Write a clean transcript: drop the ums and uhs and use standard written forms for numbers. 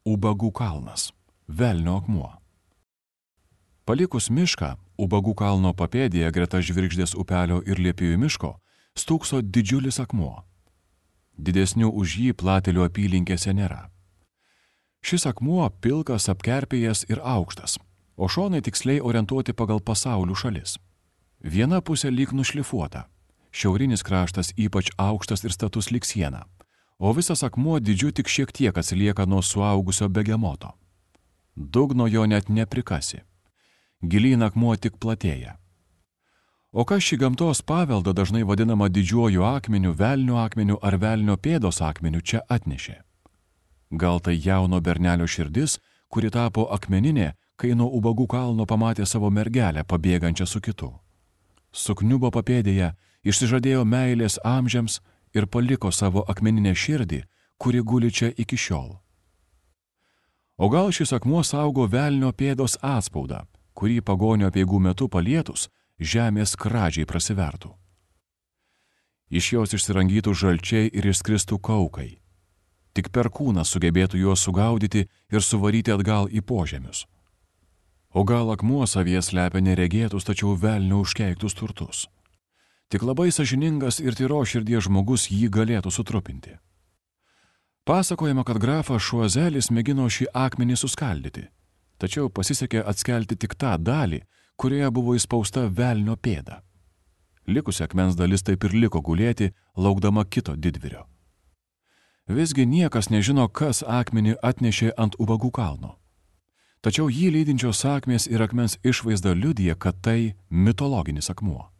Ubagų kalnas – velnio akmuo. Palikus mišką, Ubagų kalno papėdėje greta Žvirgždės upelio ir Liepijų miško stūkso didžiulis akmuo. Didesnių už jį Platelių apylinkėse nėra. Šis akmuo pilkas, apkerpėjęs ir aukštas, o šonai tiksliai orientuoti pagal pasaulių šalis. Viena pusė lyg nušlifuota, šiaurinis kraštas ypač aukštas ir status lyg siena, o visas akmuo dydžiu tik šiek tiek atsilieka nuo suaugusio begemoto. Dugno jo net neprikasi. Gilyn akmuo tik platėja. O kas šį gamtos paveldą dažnai vadinama didžiuoju akmeniu, velnio akmeniu ar velnio pėdos akmeniu čia atnešė? Gal tai jauno bernelio širdis, kuri tapo akmeninė, kai nuo Ubagų kalno pamatė savo mergelę pabėgančią su kitu. Sukniubo papėdėje, išsižadėjo meilės amžiams ir paliko savo akmeninę širdį, kuri guli čia iki šiol. O gal šis akmuo saugo velnio pėdos atspaudą, kurį pagonio apeigų metu palietus, žemės skradžiai prasivertų. Iš jos išsirangytų žalčiai ir išskristų kaukai. Tik perkūnas sugebėtų juos sugaudyti ir suvaryti atgal į požemius. O gal akmuo savyje slepia neregėtus, tačiau velnio užkeiktus turtus. Tik labai sąžiningas ir tyros širdies žmogus jį galėtų sutrupinti. Pasakojama, kad grafas Šuazelis mėgino šį akmenį suskaldyti, tačiau pasisekė atskelti tik tą dalį, kurioje buvo įspausta velnio pėda. Likusi akmens dalis taip ir liko gulėti, laukdama kito didvyrio. Visgi niekas nežino, kas akmenį atnešė ant Ubagų kalno. Tačiau jį lydinčios sakmės ir akmens išvaizda liudija, kad tai mitologinis akmuo.